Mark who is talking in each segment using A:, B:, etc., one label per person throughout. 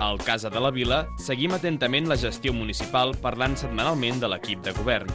A: Al Casa de la Vila seguim atentament la gestió municipal parlant setmanalment de l'equip de govern.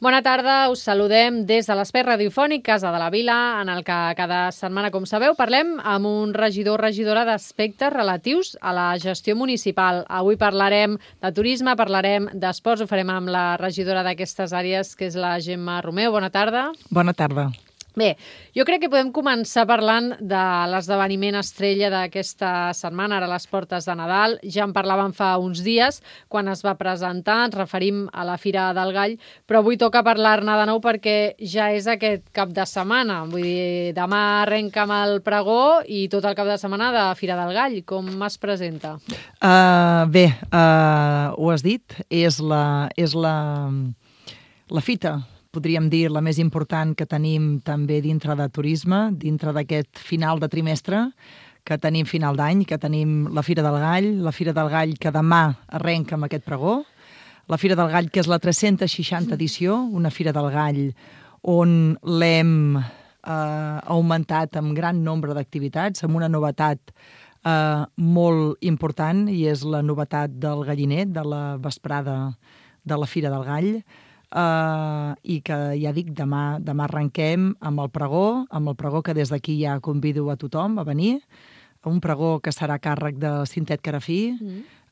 B: Bona tarda, us saludem des de l'espai radiofònic Casa de la Vila, en el que cada setmana, com sabeu, parlem amb un regidor o regidora d'aspectes relatius a la gestió municipal. Avui parlarem de turisme, parlarem d'esports, ho farem amb la regidora d'aquestes àrees, que és la Gemma Romeu. Bona tarda.
C: Bona tarda.
B: Bé, jo crec que podem començar parlant de l'esdeveniment estrella d'aquesta setmana, ara a les portes de Nadal. Ja en parlàvem fa uns dies, quan es va presentar, ens referim a la Fira del Gall, però avui toca parlar-ne de nou perquè ja és aquest cap de setmana. Vull dir, demà arrenca amb el pregó i tot el cap de setmana de Fira del Gall. Com es presenta?
C: Ho has dit, és la fita, podríem dir, la més important que tenim també dintre de turisme, dintre d'aquest final de trimestre, que tenim final d'any, que tenim la Fira del Gall que demà arrenca amb aquest pregó, la Fira del Gall que és la 360 edició, una Fira del Gall on l'hem augmentat amb gran nombre d'activitats, amb una novetat molt important, i és la novetat del galliner, de la vesprada de la Fira del Gall, i que ja dic, demà arrenquem amb el pregó que des d'aquí ja convido a tothom a venir, un pregó que serà a càrrec de Cintet Carafí,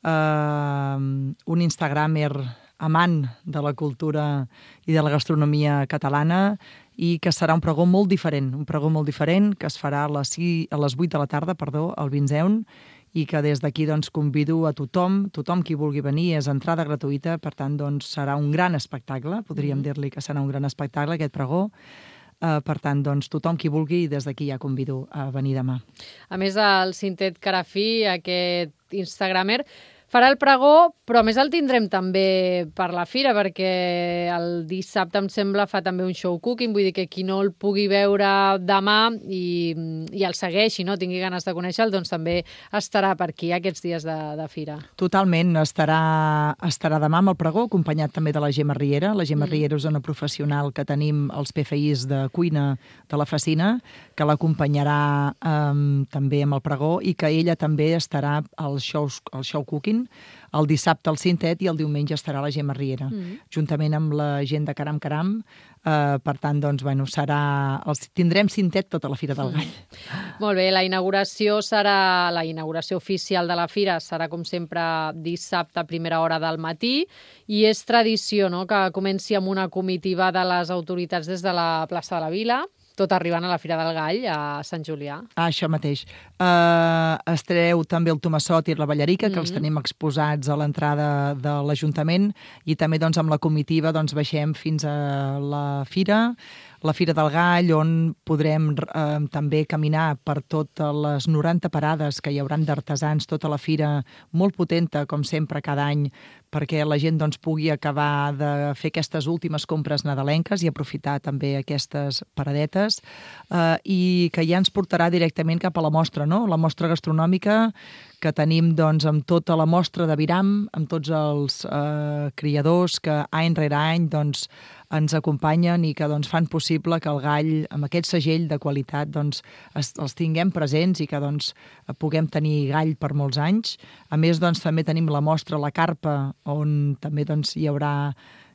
C: un instagramer amant de la cultura i de la gastronomia catalana, i que serà un pregó molt diferent, que es farà a les 8 de la tarda, el Vinzeun, i que des d'aquí convido a tothom qui vulgui venir, és entrada gratuïta, per tant serà un gran espectacle, podríem dir-li que serà un gran espectacle aquest pregó. Per tant, tothom qui vulgui, des d'aquí ja convido a venir demà.
B: A més, el Cintet Carafí, aquest instagramer, farà el pregó, però a més el tindrem també per la fira, perquè el dissabte, em sembla, fa també un show cooking, vull dir que qui no el pugui veure demà i el segueixi, no? Tingui ganes de conèixer-lo, doncs també estarà per aquí aquests dies de fira.
C: Totalment, estarà demà amb el pregó, acompanyat també de la Gemma Riera. La Gemma Riera és una professional que tenim als PFIs de cuina de la Facina, que l'acompanyarà també amb el pregó, i que ella també estarà al show cooking, el dissabte al Cintet, i el diumenge estarà la Gemma Riera, juntament amb la gent de Caram Caram. Per tant, tindrem Cintet tota la Fira del Gall.
B: Molt bé, la inauguració oficial de la fira serà, com sempre, dissabte a primera hora del matí, i és tradició, no?, que comenci amb una comitiva de les autoritats des de la plaça de la Vila, tot arribant a la Fira del Gall, a Sant Julià.
C: Això mateix. Estareu també el Tomassot i la Ballarica, que els tenim exposats a l'entrada de l'Ajuntament, i també amb la comitiva baixem fins a la Fira del Gall, on podrem també caminar per totes les 90 parades que hi hauran d'artesans, tota la fira, molt potenta, com sempre, cada any, perquè la gent pugui acabar de fer aquestes últimes compres nadalenques i aprofitar també aquestes paradetes, i que ja ens portarà directament cap a la mostra, no? La mostra gastronòmica que tenim amb tota la mostra de Viram, amb tots els criadors que any rere any ens acompanyen i que fan possible que el gall, amb aquest segell de qualitat, els tinguem presents i que puguem tenir gall per molts anys. A més, també tenim la mostra La Carpa, on també hi haurà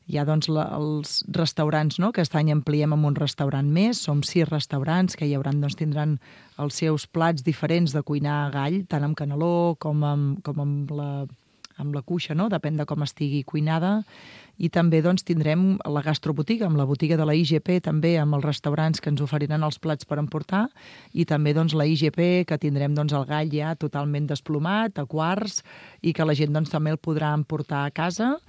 C: els restaurants, no?, que aquest any ampliem amb un restaurant més. Som 6 restaurants que tindran els seus plats diferents de cuinar gall, tant amb caneló com amb la cuixa, no?, depèn de com estigui cuinada. I també tindrem la gastrobotiga, amb la botiga de la IGP, també amb els restaurants que ens oferiran els plats per emportar, i també la IGP, que tindrem el gall ja totalment desplomat, a quarts, i que la gent també el podrà emportar a casa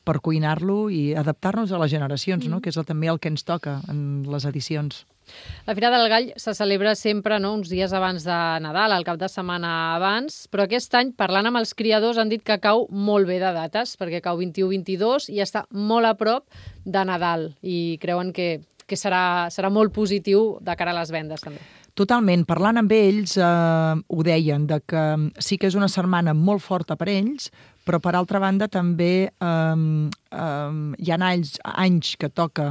C: per cuinar-lo i adaptar-nos a les generacions, no?, que és també el que ens toca en les edicions.
B: La Fira del Gall se celebra sempre, no?, uns dies abans de Nadal, el cap de setmana abans, però aquest any, parlant amb els criadors, han dit que cau molt bé de dates, perquè cau 21-22 i està molt a prop de Nadal, i creuen que serà molt positiu de cara a les vendes, també.
C: Totalment. Parlant amb ells, ho deien, que sí que és una setmana molt forta per ells, Però, per altra banda, també hi ha anys que toca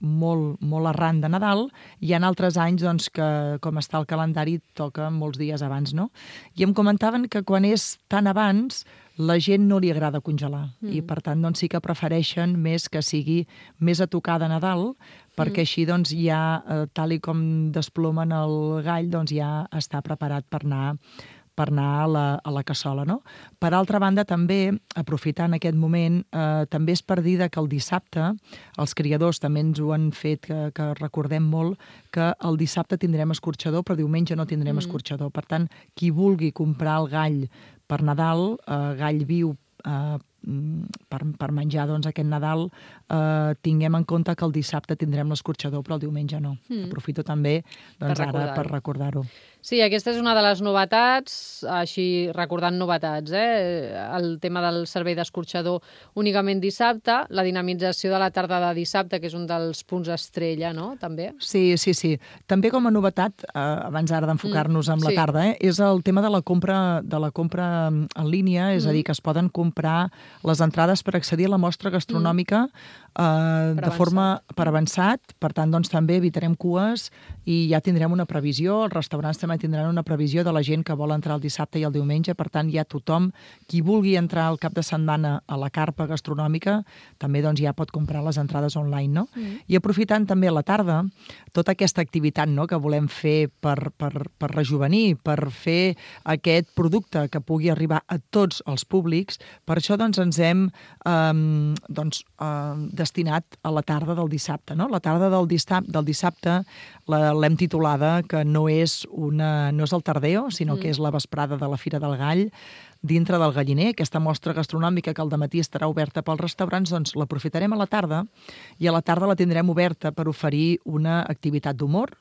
C: molt arran de Nadal, i hi ha altres anys doncs, que, com està el calendari, toca molts dies abans, no? I em comentaven que quan és tan abans, la gent no li agrada congelar i, per tant, doncs, sí que prefereixen més que sigui més a tocar de Nadal, perquè així doncs, ja, tal i com desplomen el gall, doncs, ja està preparat per anar a la cassola, no? Per altra banda, també, aprofitant aquest moment, també és per dir que el dissabte, els criadors també ens ho han fet, que recordem molt, que el dissabte tindrem escorxador, però diumenge no tindrem escorxador. Per tant, qui vulgui comprar el gall per Nadal, gall viu, per menjar doncs, aquest Nadal, tinguem en compte que el dissabte tindrem l'escorxador, però el diumenge no. Aprofito també doncs, ara per recordar-ho.
B: Sí, aquesta és una de les novetats, així recordant novetats, el tema del servei d'escorxador únicament dissabte, la dinamització de la tarda de dissabte, que és un dels punts estrella, no?, també?
C: Sí. També com a novetat, abans ara d'enfocar-nos en la tarda, és el tema de la compra en línia, és a dir, que es poden comprar les entrades per accedir a la mostra gastronòmica de forma per avançat. Per tant, doncs, també evitarem cues i ja tindrem una previsió. Els restaurants també tindran una previsió de la gent que vol entrar el dissabte i el diumenge. Per tant, ja tothom, qui vulgui entrar al cap de setmana a la carpa gastronòmica, també doncs, ja pot comprar les entrades online, no? I aprofitant també a la tarda tota aquesta activitat, no?, que volem fer per rejuvenir, per fer aquest producte que pugui arribar a tots els públics. Per això doncs, ens hem destinat a la tarda del dissabte, no? La tarda del dissabte l'hem titulada que no és el tardeo, sinó que és la vesprada de la Fira del Gall, dintre del Galliner. Aquesta mostra gastronòmica que al dematí estarà oberta pels restaurants, doncs l'aprofitarem a la tarda, i a la tarda la tindrem oberta per oferir una activitat d'humor,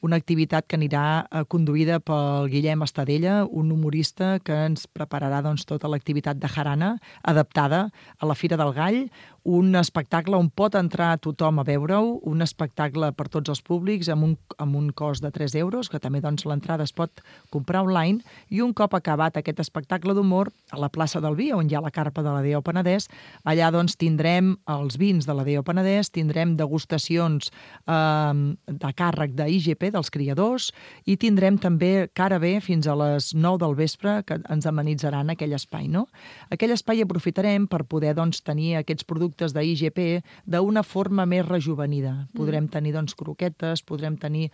C: una activitat que anirà conduïda pel Guillem Estadella, un humorista que ens prepararà doncs, tota l'activitat de jarana adaptada a la Fira del Gall, un espectacle on pot entrar tothom a veure-ho, un espectacle per tots els públics amb un cost de 3 euros, que també doncs, l'entrada es pot comprar online, i un cop acabat aquest espectacle d'humor, a la plaça del Vi, on hi ha la carpa de la DO Penedès, allà doncs, tindrem els vins de la DO Penedès, tindrem degustacions de càrrec d'IGP, dels criadors, i tindrem també cara bé fins a les 9 del vespre que ens amenitzaran aquell espai, no? Aquell espai aprofitarem per poder doncs, tenir aquests productes d'IGP d'una forma més rejuvenida. Podrem tenir doncs, croquetes, podrem tenir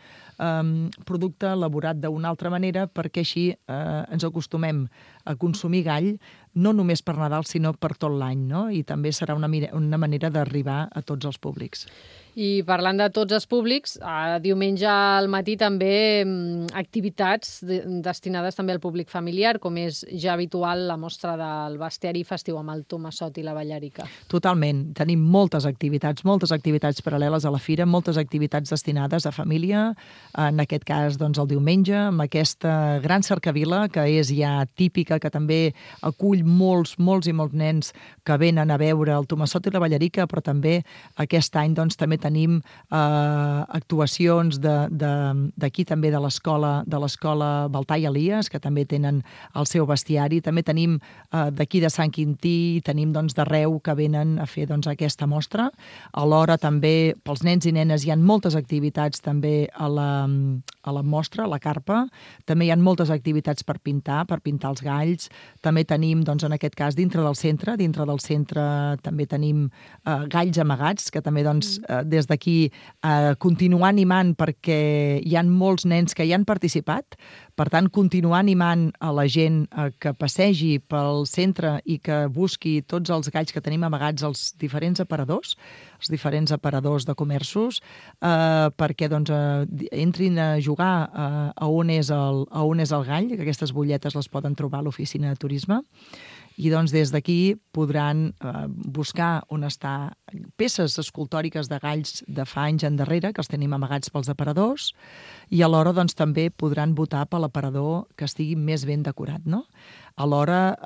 C: producte elaborat d'una altra manera, perquè així ens acostumem a consumir gall no només per Nadal, sinó per tot l'any, no? I també serà una manera d'arribar a tots els públics.
B: I parlant de tots els públics, diumenge al matí també activitats destinades també al públic familiar, com és ja habitual la mostra del bestiari festiu amb el Tomassot i la Ballarica.
C: Totalment. Tenim moltes activitats paral·leles a la fira, moltes activitats destinades a família, en aquest cas doncs, el diumenge, amb aquesta gran cercavila que és ja típica, que també acull molts nens que venen a veure el Tomassot i la Ballarica, però també aquest any doncs, també tenim actuacions d'aquí també de l'escola Baltar i Elies, que també tenen el seu bestiari. També tenim d'aquí de Sant Quintí, tenim doncs, d'arreu que venen a fer doncs, aquesta mostra. Alhora també pels nens i nenes hi ha moltes activitats també a la mostra, a la carpa. També hi ha moltes activitats per pintar els galls. També tenim, doncs, en aquest cas, dintre del centre també tenim galls amagats, que també doncs, des d'aquí continuar animant, perquè hi ha molts nens que hi han participat. Per tant, continuar animant a la gent que passegi pel centre i que busqui tots els galls que tenim amagats als diferents aparadors de comerços, perquè doncs, entrin a jugar a on és el gall, que aquestes butlletes les poden trobar a l'oficina de turisme. I doncs des d'aquí podran buscar on està peces escultòriques de galls de fa anys endarrere, que els tenim amagats pels aparadors, i alhora doncs, també podran votar per l'aparador que estigui més ben decorat, no? Alhora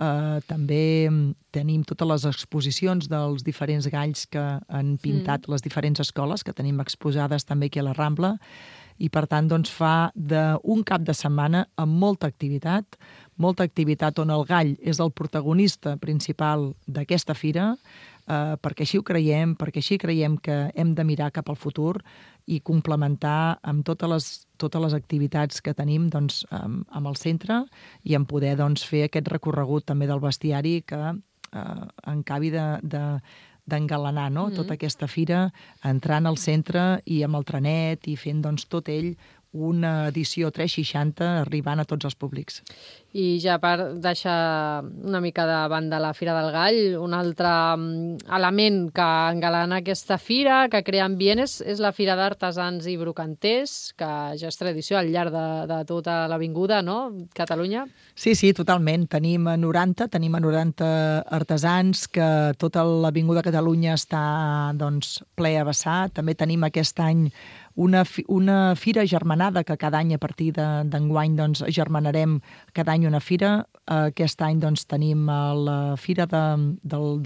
C: també tenim totes les exposicions dels diferents galls que han pintat les diferents escoles, que tenim exposades també aquí a la Rambla, i per tant doncs, fa d'un cap de setmana amb molta activitat, molta activitat on el gall és el protagonista principal d'aquesta fira, perquè així ho creiem, perquè així creiem que hem de mirar cap al futur i complementar amb totes les activitats que tenim doncs, amb el centre i en poder doncs, fer aquest recorregut també del bestiari que encabi d'engalanar tota aquesta fira, entrant al centre i amb el trenet i fent doncs, tot ell una edició 360 arribant a tots els públics.
B: I ja per deixar una mica de banda la Fira del Gall, un altre element que engalana aquesta fira, que crea ambient, és la Fira d'Artesans i Brocanters, que ja és tradició al llarg de tota l'avinguda, no?, Catalunya.
C: Sí, totalment. Tenim a 90 artesans, que tota l'avinguda Catalunya està doncs, ple a vessar. També tenim aquest any una fira germanada que cada any a partir d'enguany doncs, germanarem cada any una fira. Aquest any doncs, tenim la Fira de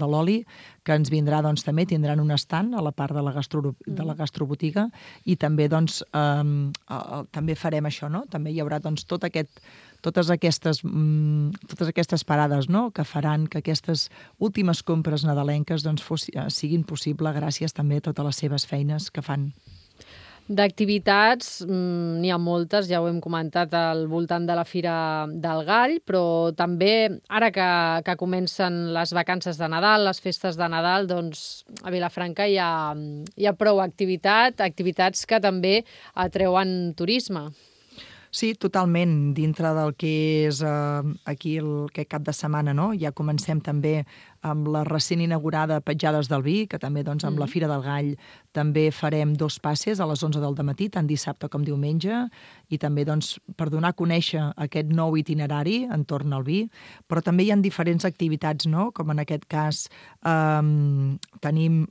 C: l'Oli, que ens vindrà, doncs, també tindran un stand a la part de la gastrobotiga i també, doncs, també farem això, no? També hi haurà doncs, totes aquestes parades, no?, que faran que aquestes últimes compres nadalenques doncs, siguin possible gràcies també a totes les seves feines que fan.
B: D'activitats n'hi ha moltes, ja ho hem comentat al voltant de la Fira del Gall, però també ara que comencen les vacances de Nadal, les festes de Nadal, doncs a Vilafranca hi ha prou activitats que també atreuen turisme.
C: Sí, totalment. Dintre del que és aquí aquest cap de setmana, no? Ja comencem també amb la recent inaugurada Petjades del Vi, que també doncs, amb la Fira del Gall també farem 2 passes a les 11 del dematí, tant dissabte com diumenge, i també doncs, per donar a conèixer aquest nou itinerari entorn al vi, però també hi ha diferents activitats, no? Com en aquest cas tenim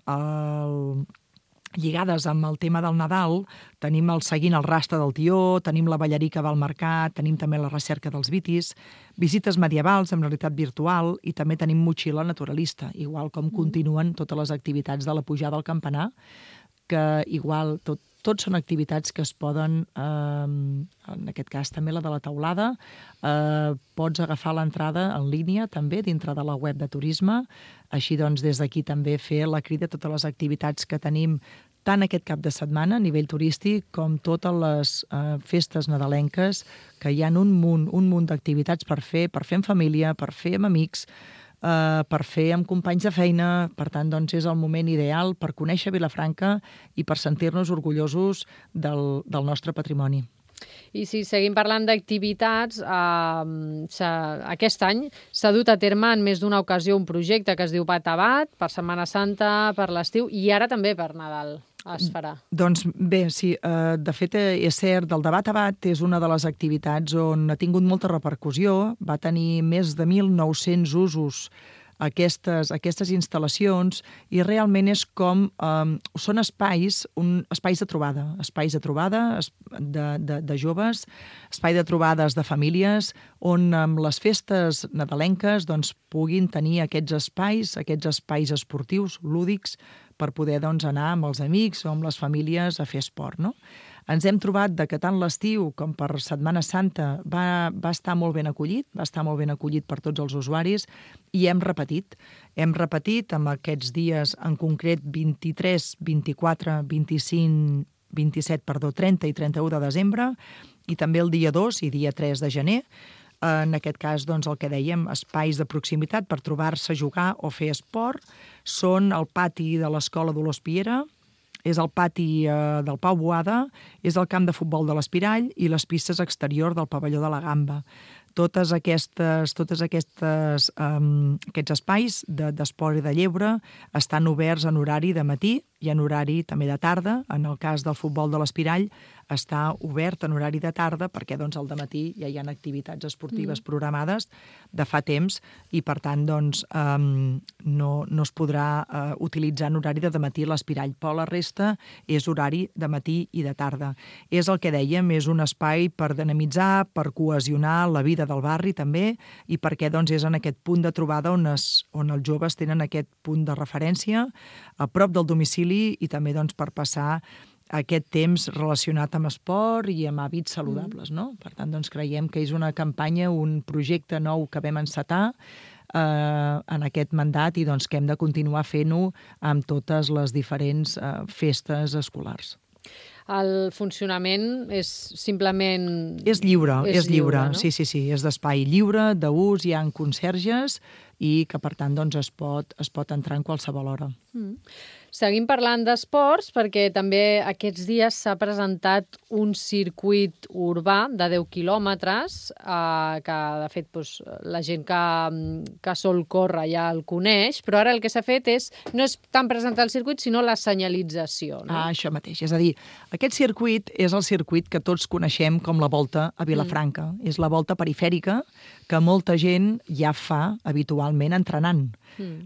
C: lligades amb el tema del Nadal, tenim el Seguint el rastre del tió, tenim la ballarica al mercat, tenim també la recerca dels vitis, visites medievals en realitat virtual i també tenim motxilla naturalista, igual com continuen totes les activitats de la pujada al campanar, que igual tots són activitats que es poden, en aquest cas també la de la teulada, pots agafar l'entrada en línia també dintre de la web de turisme, així doncs des d'aquí també fer la crida a totes les activitats que tenim tant aquest cap de setmana a nivell turístic com totes les festes nadalenques, que hi ha un munt d'activitats per fer en família, per fer amb amics, per fer amb companys de feina. Per tant, doncs, és el moment ideal per conèixer Vilafranca i per sentir-nos orgullosos del nostre patrimoni.
B: I si seguim parlant d'activitats, aquest any s'ha dut a terme en més d'una ocasió un projecte que es diu Bat-a-Bat, per Setmana Santa, per l'estiu i ara també per Nadal. Es farà. Doncs
C: bé, sí, de fet és cert, el de Bat-a-Bat és una de les activitats on ha tingut molta repercussió, va tenir més de 1.900 usos aquestes instal·lacions i realment és com són espais de trobada de joves, espai de trobades de famílies on amb les festes nadalenques doncs, puguin tenir aquests espais esportius, lúdics, per poder doncs, anar amb els amics o amb les famílies a fer esport, no? Ens hem trobat que tant l'estiu com per Setmana Santa va estar molt ben acollit per tots els usuaris i hem repetit amb aquests dies, en concret 23, 24, 25, 27, 30 i 31 de desembre i també el dia 2 i dia 3 de gener. En aquest cas, doncs, el que dèiem, espais de proximitat per trobar-se, jugar o fer esport, són el pati de l'Escola Dolors Piera, és el pati del Pau Boada, és el camp de futbol de l'Espirall i les pistes exteriors del pavelló de la Gamba. Tots aquests espais d'esport i de lleure estan oberts en horari de matí i en horari també de tarda. En el cas del futbol de l'Espirall està obert en horari de tarda perquè doncs, al dematí ja hi ha activitats esportives programades de fa temps i per tant doncs, no es podrà utilitzar en horari de dematí l'Espirall, però la resta és horari de matí i de tarda. És el que dèiem, és un espai per dinamitzar, per cohesionar la vida del barri també i perquè doncs, és en aquest punt de trobada on els joves tenen aquest punt de referència a prop del domicili i també doncs, per passar aquest temps relacionat amb esport i amb hàbits saludables, no? Per tant, doncs, creiem que és una campanya, un projecte nou que vam encetar en aquest mandat i doncs, que hem de continuar fent-ho amb totes les diferents festes escolars.
B: El funcionament és simplement...
C: És lliure,
B: no?
C: Sí, és d'espai lliure, d'ús, hi ha conserges i que, per tant, doncs, es pot entrar en qualsevol hora.
B: Seguim parlant d'esports perquè també aquests dies s'ha presentat un circuit urbà de 10 quilòmetres que, de fet, doncs, la gent que sol córrer ja el coneix, però ara el que s'ha fet no és tant presentar el circuit, sinó la senyalització. No?
C: Això mateix. És a dir, aquest circuit és el circuit que tots coneixem com la Volta a Vilafranca. És la volta perifèrica que molta gent ja fa habitualment entrenant.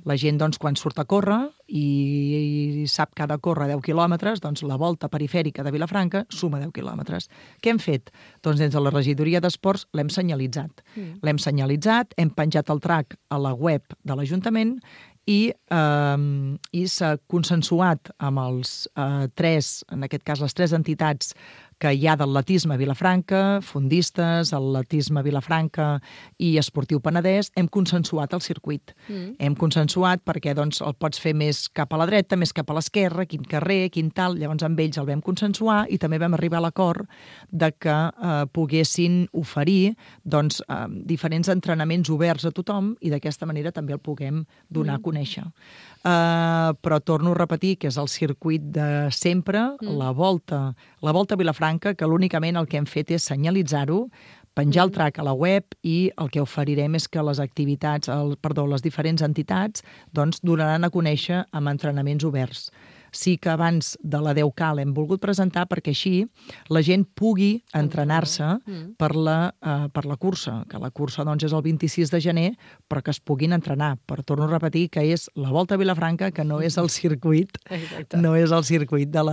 C: La gent, doncs, quan surt a córrer i sap que ha de córrer 10 quilòmetres, doncs la volta perifèrica de Vilafranca suma 10 quilòmetres. Què hem fet? Doncs des de la regidoria d'esports l'hem senyalitzat. L'hem senyalitzat, hem penjat el track a la web de l'Ajuntament i s'ha consensuat amb els en aquest cas les tres entitats que hi ha d'atletisme a Vilafranca, fondistes, atletisme a Vilafranca i esportiu Penedès, hem consensuat el circuit. Hem consensuat perquè doncs, el pots fer més cap a la dreta, més cap a l'esquerra, quin carrer, quin tal. Llavors amb ells el vam consensuar i també vam arribar a l'acord de que poguessin oferir doncs, diferents entrenaments oberts a tothom i d'aquesta manera també el puguem donar a conèixer. Però torno a repetir que és el circuit de sempre, la volta a Vilafranca, que l'únicament el que hem fet és senyalitzar-ho, penjar el track a la web i el que oferirem és que les diferents entitats doncs, donaran a conèixer amb entrenaments oberts. Sí que abans de la 10K l'hem volgut presentar perquè així la gent pugui entrenar-se per la cursa, que la cursa doncs, és el 26 de gener, però que es puguin entrenar. Però torno a repetir que és la Volta a Vilafranca, que no és el circuit, no és el circuit de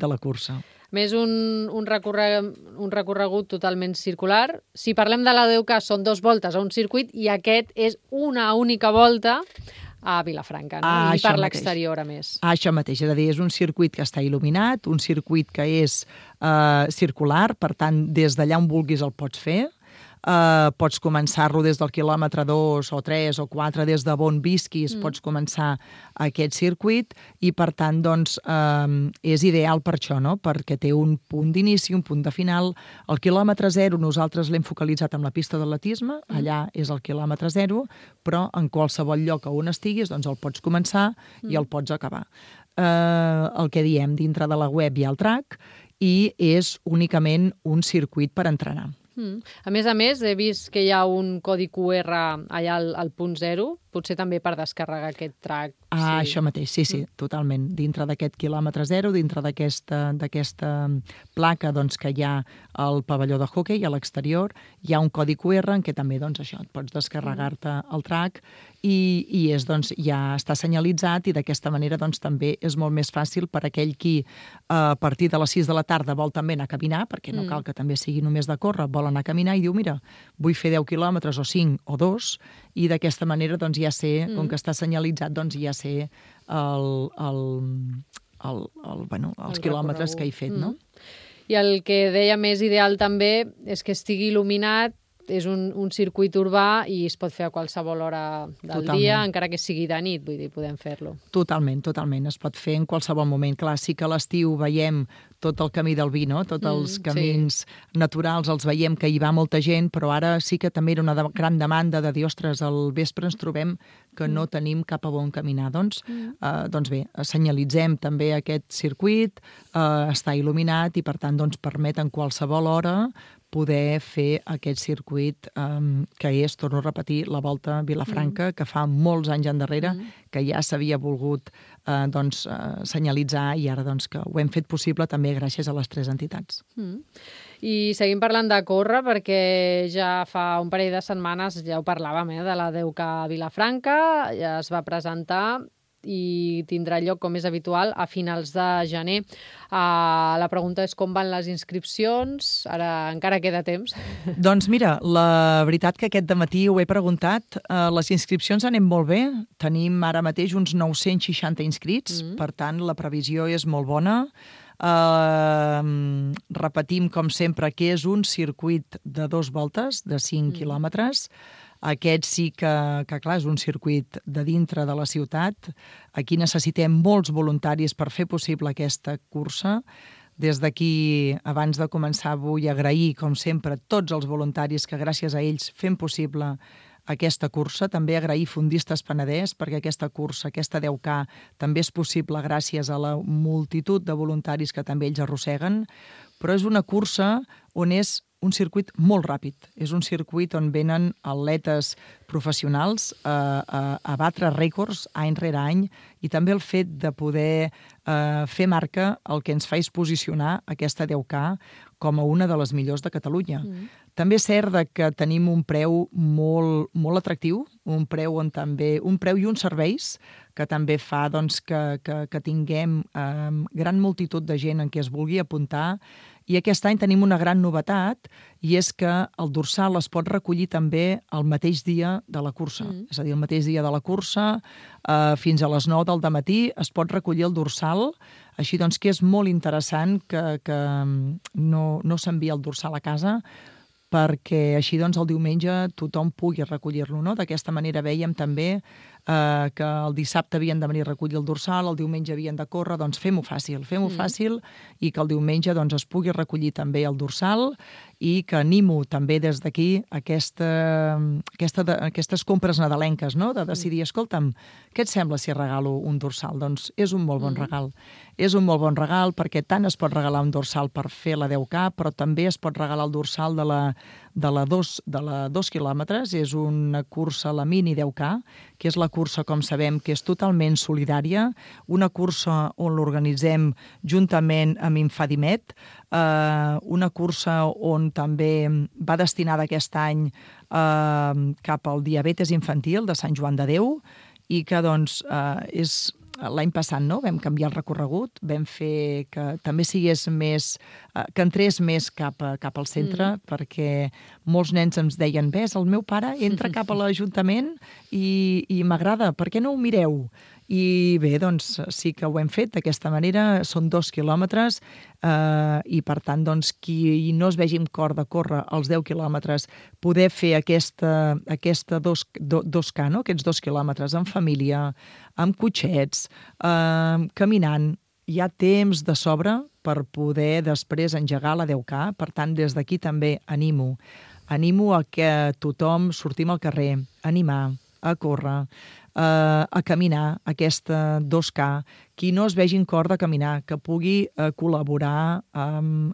C: la cursa.
B: Més un recorregut totalment circular. Si parlem de la 10K, són 2 voltes a un circuit i aquest és una única volta a Vilafranca, no? I per l'exterior, a més.
C: Això mateix, és a dir, és un circuit que està il·luminat, un circuit que és circular, per tant, des d'allà on vulguis el pots fer. Pots començar-lo des del quilòmetre 2 o 3 o 4, des de on visquis, pots començar aquest circuit i, per tant, doncs, és ideal per això, no? Perquè té un punt d'inici, un punt de final. El quilòmetre 0 nosaltres l'hem focalitzat amb la pista d'atletisme, allà és el quilòmetre 0, però en qualsevol lloc on estiguis doncs el pots començar i el pots acabar. El que diem, dintre de la web hi ha el track i és únicament un circuit per entrenar.
B: A més, he vist que hi ha un codi QR allà al punt 0, potser també per descarregar aquest track.
C: Això mateix, sí, totalment. Dintre d'aquest quilòmetre 0, dintre d'aquesta placa doncs, que hi ha al pavelló de hoquei a l'exterior, hi ha un codi QR en què també doncs, això, et pots descarregar-te el track i és, doncs, ja està senyalitzat i d'aquesta manera doncs, també és molt més fàcil per aquell qui a partir de les 6 de la tarda vol també anar a caminar, perquè no cal que també sigui només de córrer, vol anar a caminar i diu, mira, vull fer 10 quilòmetres o 5 o 2 i d'aquesta manera doncs, ja sé, com que està senyalitzat, doncs ja sé els quilòmetres que he fet, no?
B: I el que deia més ideal també és que estigui il·luminat, és un circuit urbà i es pot fer a qualsevol hora del dia, encara que sigui de nit, vull dir, podem fer-lo.
C: Totalment. Es pot fer en qualsevol moment. Clar, sí que a l'estiu veiem tot el camí del vi, no? Tots els camins naturals els veiem que hi va molta gent, però ara sí que també era una gran demanda de dir, ostres, al vespre ens trobem que no tenim cap a on caminar. Doncs bé, senyalitzem també aquest circuit, està il·luminat i per tant doncs, permet en qualsevol hora poder fer aquest circuit que és, torno a repetir, la Volta a Vilafranca, que fa molts anys endarrere, que ja s'havia volgut senyalitzar i ara doncs, que ho hem fet possible també gràcies a les 3 entitats.
B: I seguim parlant de córrer perquè ja fa un parell de setmanes, ja ho parlàvem, de la 10K a Vilafranca, ja es va presentar i tindrà lloc, com és habitual, a finals de gener. La pregunta és com van les inscripcions? Ara encara queda temps.
C: Doncs mira, la veritat que aquest dematí ho he preguntat. Les inscripcions anem molt bé. Tenim ara mateix uns 960 inscrits, per tant la previsió és molt bona. Repetim, com sempre, que és un circuit de 2 voltes, de 5 quilòmetres. Aquest sí que, clar, és un circuit de dintre de la ciutat. Aquí necessitem molts voluntaris per fer possible aquesta cursa. Des d'aquí, abans de començar, vull agrair, com sempre, tots els voluntaris que gràcies a ells fem possible aquesta cursa. També agrair Fundistes Penedès, perquè aquesta cursa, aquesta 10K, també és possible gràcies a la multitud de voluntaris que també ells arrosseguen. Però és una cursa on és un circuit molt ràpid. És un circuit on venen atletes professionals a batre rècords any rere any, i també el fet de poder fer marca el que ens fa és posicionar aquesta 10K com a una de les millors de Catalunya. També és cert que tenim un preu molt, molt atractiu, un preu i uns serveis que també fa doncs, que tinguem gran multitud de gent en què es vulgui apuntar. I aquest any tenim una gran novetat, i és que el dorsal es pot recollir també el mateix dia de la cursa. És a dir, el mateix dia de la cursa, fins a les 9 del dematí, es pot recollir el dorsal. Així doncs que és molt interessant que no s'envia el dorsal a casa, perquè així doncs el diumenge tothom pugui recollir-lo, no? D'aquesta manera vèiem també que el dissabte havien de venir a recollir el dorsal, el diumenge havien de córrer, doncs fem-ho fàcil, i que el diumenge doncs, es pugui recollir també el dorsal, i que animo també des d'aquí aquestes compres nadalenques, no? De decidir, escolta'm, què et sembla si regalo un dorsal? Doncs és un molt bon regal. És un molt bon regal perquè tant es pot regalar un dorsal per fer la 10K, però també es pot regalar el dorsal de la 2 quilòmetres. És una cursa, la mini 10K, que és la cursa, com sabem, que és totalment solidària, una cursa on l'organitzem juntament amb Infadimet, una cursa on també va destinada aquest any cap al diabetes infantil de Sant Joan de Déu, i que doncs és... L'any passat vam canviar el recorregut, vam fer que també sigués més, que entrés més cap al centre, perquè molts nens ens deien, ves, el meu pare entra cap a l'Ajuntament i m'agrada, per què no ho mireu? I bé, doncs sí que ho hem fet d'aquesta manera, són 2 quilòmetres, i per tant, doncs, qui no es vegi amb cor de córrer els 10 quilòmetres, poder fer aquesta 2K, no? Aquests 2 quilòmetres en família, amb cotxets, caminant, hi ha temps de sobre per poder després engegar la 10K. Per tant, des d'aquí també animo a que tothom sortim al carrer, a animar, a córrer, a caminar aquesta 2K. Qui no es vegi en cor de caminar, que pugui col·laborar amb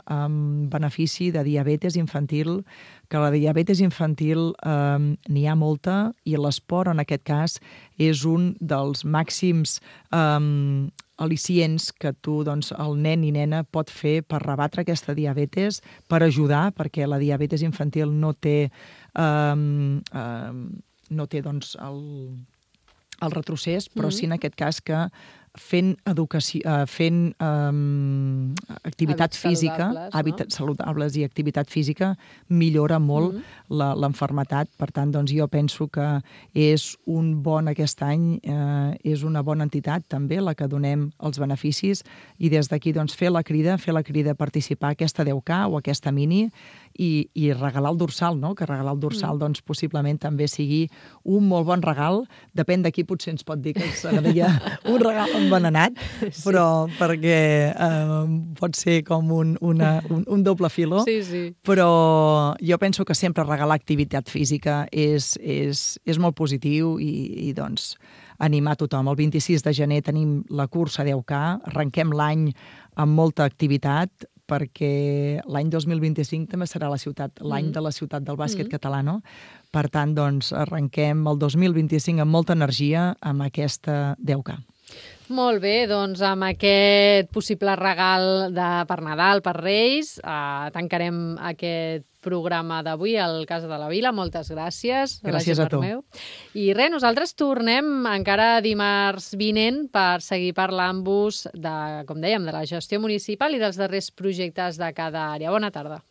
C: benefici de diabetes infantil, que la diabetes infantil n'hi ha molta, i l'esport, en aquest cas, és un dels màxims al·licients que doncs, el nen i nena pot fer per rebatre aquesta diabetes, per ajudar, perquè la diabetes infantil no té doncs, el retrocés, però sí en aquest cas que fent activitat física, hàbits saludables i activitat física, millora molt l'enfermetat. Per tant, doncs, jo penso que és un bon, aquest any, és una bona entitat també la que donem els beneficis, i des d'aquí doncs, fer la crida a participar a aquesta 10K o aquesta mini, i regalar el dorsal, no? Que regalar el dorsal doncs, possiblement també sigui un molt bon regal. Depèn de qui potser ens pot dir que ens agradaria un regal envenenat, però perquè pot ser com un doble filó.
B: Sí.
C: Però jo penso que sempre regalar activitat física és molt positiu, i doncs animar tothom. El 26 de gener tenim la cursa 10K, arrenquem l'any amb molta activitat, perquè l'any 2025 també serà l'any de la ciutat del bàsquet català, no? Per tant, doncs, arrenquem el 2025 amb molta energia amb aquesta 10K.
B: Molt bé, doncs amb aquest possible regal per Nadal, per Reis, tancarem aquest programa d'avui al Casa de la Vila. Moltes gràcies.
C: Gràcies a tu.
B: I res, nosaltres tornem encara dimarts vinent per seguir parlant-vos de, com dèiem, de la gestió municipal i dels darrers projectes de cada àrea. Bona tarda.